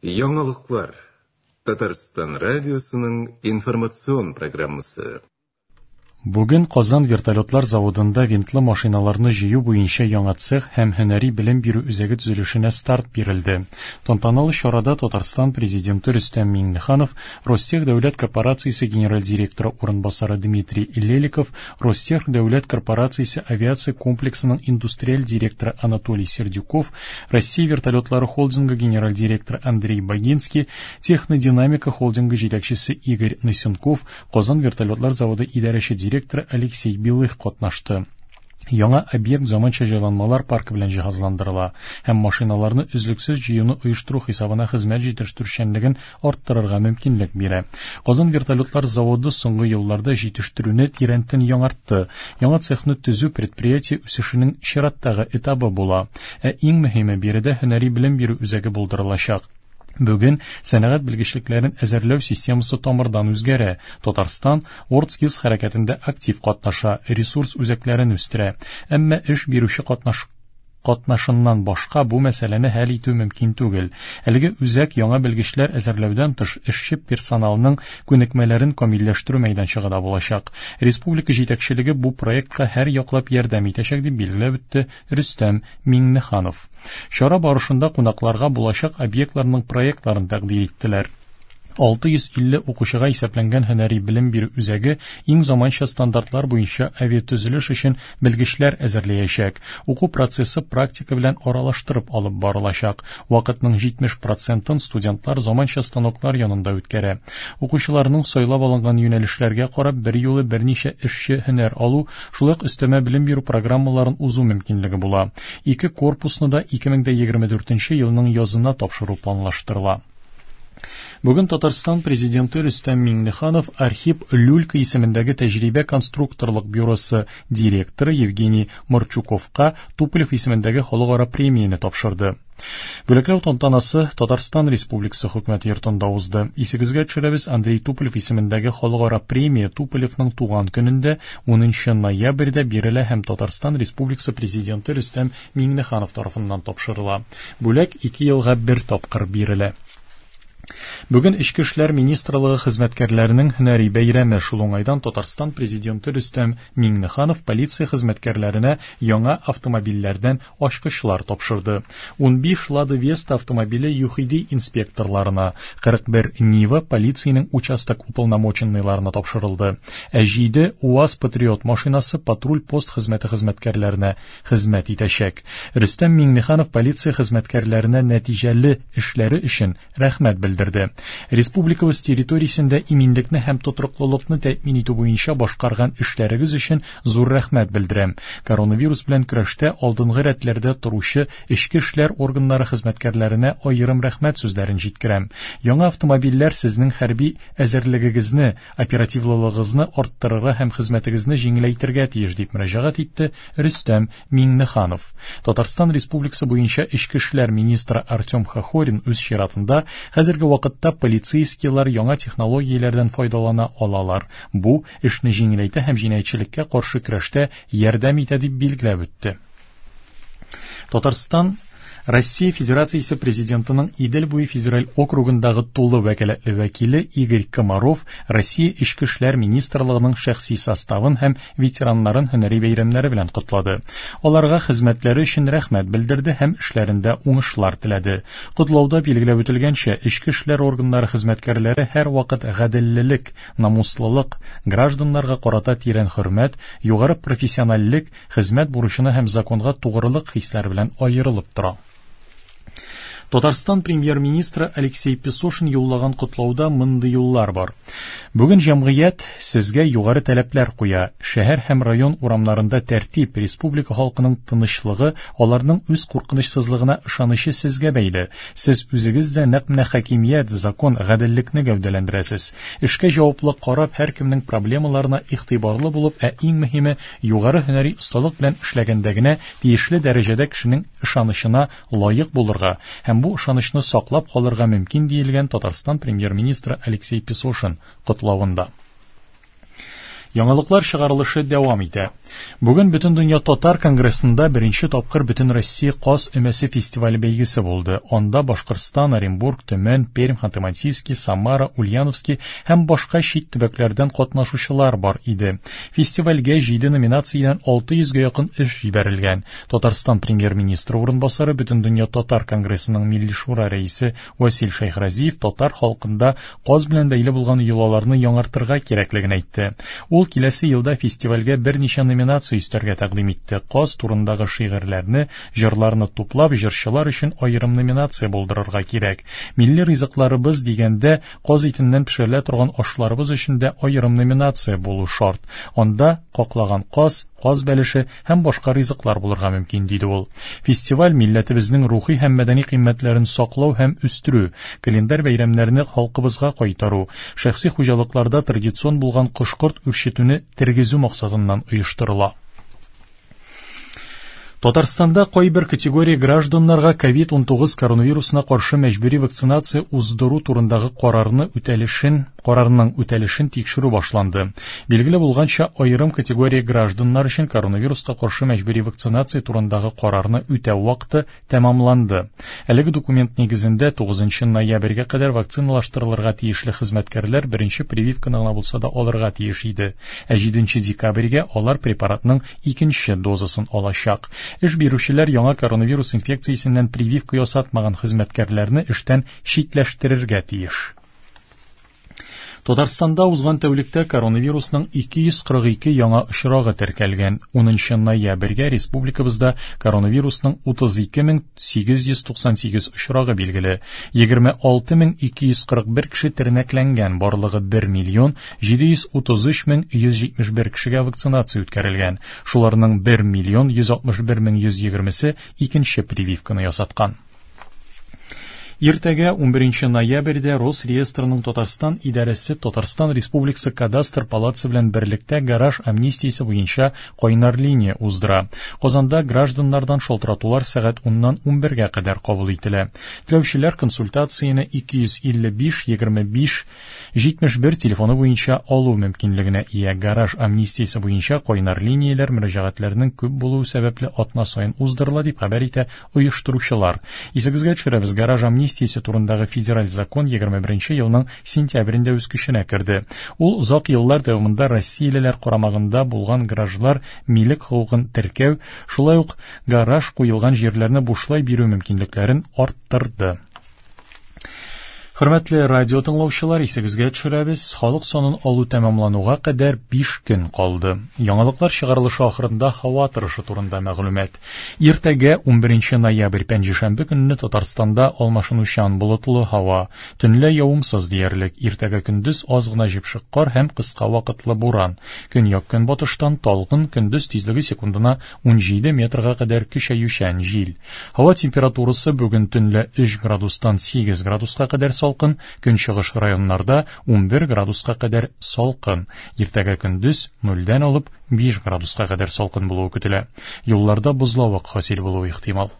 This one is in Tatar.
Яңалыклар. Татарстан радиосының информацион программасы. Бүген Казан вертолетлар заводында винтлы машиналарны җыю буенча яңа цех һәм һөнәри белем бирү үзәге төзелешенә старт бирелде. Тантаналы чарада Татарстан Президенты Рөстәм Миңнеханов, Ростех дәүләт корпорациясе генераль директоры урынбасары Дмитрий Леликов, Ростех дәүләт корпорациясе авиация комплексының индустриаль директоры Анатолий Сердюков, Россия вертолетлары холдингы генераль директоры Андрей Богинский, Технодинамика холдингы җитәкчесе Игорь Нысенков, Казан вертолетлар заводы идарәче директоры Алексей Белых катнашты. Яңа объект заманча җайланмалар паркы белән җиһазландырыла һәм машиналарны өзлексез җыюны оештыру хисабына хезмәт җитештерүчәнлеген арттырырга мөмкинлек бирә. Казан вертолетлар заводы соңгы елларда җитештерүне тирәнтен яңартты. Яңа цехны төзү предприятие үсешенең чираттагы этабы була. Ә иң мөһиме, биредә һөнәри белем бирү үзәге булдырылачак. Бүген сәнәгать белгечлекләрен әзерләү системасы тамырдан үзгәрә. Татарстан WorldSkills хәрәкәтендә актив катнаша, ресурс үзәкләрен үстерә. Әмма эш бирүче катнаш катнашыннан башка бу мәсьәләне хәл итү мөмкин түгел. Әлеге үзәк яңа белгечләр әзерләүдән тыш эшче персоналның күнекмәләрен камилләштерү мәйданчыгы да булачак. Республика җитәкчелеге бу проектка һәр яклап ярдәм итәчәк, дип билгеләп үтте Рөстәм Миңнеханов. Чара барышында кунакларга булачак объектларның проектларын тәкъдир иттеләр. 650 укучыга исәпләнгән һөнәри белем бирү үзәге иң заманча стандартлар буенча авиатөзелеш өчен белгечләр әзерләячәк. Уку процессы практика белән аралаштырып алып барылачак. Вакытның 70 процентын студентлар заманча станоклар янында үткәрә. Укучыларның сайлап алынган юнәлешләргә карап берьюлы берничә эшче һөнәр алу, шулай ук өстәмә белем бирү программаларын узу мөмкинлеге була. Ике корпусны да 2024 елның язына тапшыру планлаштырыла. Бүген Татарстан Президенты Рөстәм Миңнеханов Архип Люлька исемендәге тәҗрибә конструкторлык бюросы директоры Евгений Марчуковка Туполев исемендәге халыкара премияне тапшырды. Бүләкләү тантанасы Татарстан Республикасы Хөкүмәте йортында узды. Исегезгә төшерәбез, Андрей Туполев исемендәге халыкара премия Туполевның туган көнендә 10 ноябрьдә бирелә һәм Татарстан Республикасы Президенты Рөстәм Миңнеханов тарафыннан тапшырыла. Бүләк 2 елга бер тапкыр бирелә. Бүген Эчке эшләр министрлыгы хезмәткәрләренең һөнәри бәйрәме. Шул уңайдан Татарстан Президенты Рөстәм Миңнеханов полиция хезмәткәрләренә яңа автомобильләрдән ачкычлар тапшырды. 15 Лада Веста автомобиле ЮХИДИ инспекторларына, 41 Нива полициянең участок уполномоченныйларына тапшырылды. Ә 7 УАЗ Патриот машинасы патруль-пост хезмәте хезмәткәрләренә хезмәт итәчәк. Рөстәм Миңнеханов полиция хезмәткәрләренә нәтиҗәле эшләре өчен рәхмәт белдерде. Республикабыз территориясендә иминлекне һәм тотрыклылыкны тәэмин итү буенча башкарган эшләрегез өчен зур рәхмәт белдерәм. Коронавирус белән көрәштә алдынгы рәтләрдә торучы эчке эшләр органнары хезмәткәрләренә аерым рәхмәт сүзләрен җиткерәм. Яңа автомобильләр сезнең хәрби әзерлегегезне, оперативлылыгыгызны арттырырга һәм хезмәтегезне җиңеләйтергә тиеш, дип мөрәҗәгать итте Рөстәм Миңнеханов. Татарстан Республикасы буенча эчке эшләр министры Артем Хохорин үз чиратында хәзерге вакытта полицейскийлар яңа технологияләрдән файдалана алалар. Бу эшне җиңеләйтә һәм җинаятьчелеккә каршы көрәштә ярдәм итә, дип билгеләп үтте. Татарстан Россия Федерациясе Президентының Идел буе федераль округындагы тулы вәкаләтле вәкиле Игорь Комаров Россия Эчке эшләр министрлыгының шәхси составын һәм ветераннарын һөнәри бәйрәмнәре белән котлады. Аларга хезмәтләре өчен рәхмәт белдерде һәм эшләрендә уңышлар теләде. Котлауда билгеләп үтелгәнчә, эчке эшләр органнары хезмәткәрләре һәрвакыт гаделлелек, намуслылык, гражданнарга карата тирән хөрмәт, югары профессиональлек, хезмәт бурычына һәм законга тугрылык хисләре белән аерылып тора. Татарстан премьер-министры Алексей Песошин юллаган котлауда мондый юллар бар. Бүген җәмгыять сезгә югары таләпләр куя. Шәһәр һәм район урамнарында тәртип, республика халкының тынычлыгы, аларның үз куркынычсызлыгына ышанычы сезгә бәйле. Сез үзегез дә нәкъ менә хакимият, закон, гаделлекне гәүдәләндерәсез. Эшкә җаваплы карап, һәркемнең проблемаларына игътибарлы булып, ә иң мөһиме, югары һөнәри осталык белән эшләгәндә генә тиешле дәрәҗәдә кешенең ышанычына лаек булырга һәм бу ышанычны саклап калырга мөмкин, диелгән Татарстан премьер-министры Алексей Песошин котлавында. Яңалыклар чыгарылышы дәвам итә. Бүген Бөтендөнья татар конгрессында беренче тапкыр Бөтенроссия Каз өмәсе фестивале бәйгесе булды. Анда Башкортстан, Оренбург, Төмән, Пермь, Ханты-Мансийский, Самара, Ульяновский һәм башка чит төбәкләрдән катнашучылар бар иде. Фестивальгә 7 номинациядән 600гә якын эш җибәрелгән. Татарстан премьер-министры урынбасары, Бөтендөнья татар конгрессының Милли шура рәисе Васил Шәйхразиев татар халкында каз белән бәйле булган йолаларны яңартырга кирәклеген әйтте. Ул киләсе елда фестивальгә берничә номинация өстәргә тәкъдим итте. Каз турындагы шигырьләрне, җырларны туплап, җырчылар өчен аерым номинация булдырырга кирәк. Милли ризыкларыбыз дигәндә, каз итеннән пешерелә торган ашларыбыз өчен дә аерым номинация булу шарт. Анда каклаган каз, каз бәлеше һәм башка ризыклар булырга мөмкин, диде ул. Фестиваль милләтебезнең рухи һәм мәдәни кыйммәтләрен саклау һәм үстерү, календарь бәйрәмнәрне халкыбызга кайтару, шәхси хуҗалыкларда традицион булган кош-корт үрчетүне тергезү максатыннан оештырыла. Татарстанда кайбер категория гражданнарга COVID-19 коронавирусына каршы мәҗбүри вакцинация уздыру турындагы карарны үтәлешен, карарның үтәлешен тикшерү башланды. Билгеле булганча, аерым категория гражданнар өчен коронавируска каршы мәҗбүри вакцинация турындагы карарны үтәү вакыты тәмамланды. Әлеге документ нигезендә 9 ноябрьгә кадәр вакциналаштырылырга тиешле хезмәткәрләр беренче прививканы гына булса да алырга тиеш иде. Ә 7 декабрьгә алар препаратның икенче дозасын алачак. Эш бирүчеләр яңа коронавирус инфекциясеннән прививка ясатмаган хезмәткәрләрне эштән читләштерергә тиеш. Татарстанда узган тәүлектә коронавирусның 242 яңа очрагы теркәлгән. 10 ноябрьгә республикабызда коронавирусның 32898 очрагы билгеле. 26241 кеше тернәкләнгән, барлыгы 1 миллион 733 мең 171 кешегә вакцинация үткәрелгән. Шуларның 1 миллион 161 мең 120-се икенче прививканы ясаткан. Иртәгә 11 ноябрьдә Росреестрның Татарстан идарәсе Татарстан Республикасы Кадастр палатасы белән берлектә гараж амнистиясе буенча кайнар линия уздыра. Казанда гражданнардан шалтыратулар сәгать 10-нан 11-гә кадәр кабул ителә. Теләүчеләр консультацияне 255 25 71 телефоны буенча алу мөмкинлегенә ия. Гараж амнистиясе буенча кайнар линияләр мөрәҗәгатьләрнең күп булуы сәбәпле атна саен уздырыла, дип хәбәр итә оештыручылар. Исегезгә төшерәбез, гараж амнистиясе турындагы федераль закон 21 елның сентябрендә үз көченә керде. Ул озак еллар дәвамында россиялеләр карамагында булган гаражлар милек хокукын теркәү, шулай ук гараж куелган җирләрне бушлай бирү мөмкинлекләрен арттырды. Хөрмәтле радио тыңлаучылар, исегезгә төшерәбез, халык санын алу тәмамлануга кадәр 5 көн калды. Яңалыклар чыгарылышы ахырында һава торышы турында мәгълүмат. Иртәгә 11 ноябрь пәнҗешәмбе көнне Татарстанда алмашынучан болытлы һава, төнлә явымсыз диярлек. Иртәгә көндез аз гына җепшек кар һәм кыска вакытлы буран. Көньяк-көнбатыштан талгын, көндез тизлеге секундына 17 метрга кадәр көчәючән җил. Һава температурасы бүген төнлә 3 градустан 8 градуска кадәр салкын, көнчыгыш районнарда 11 градуска кадәр салкын. Иртәгә көндез 0-дән алып 5 градуска кадәр салкын булуы көтелә. Юлларда бозлавык хасил булуы ихтимал.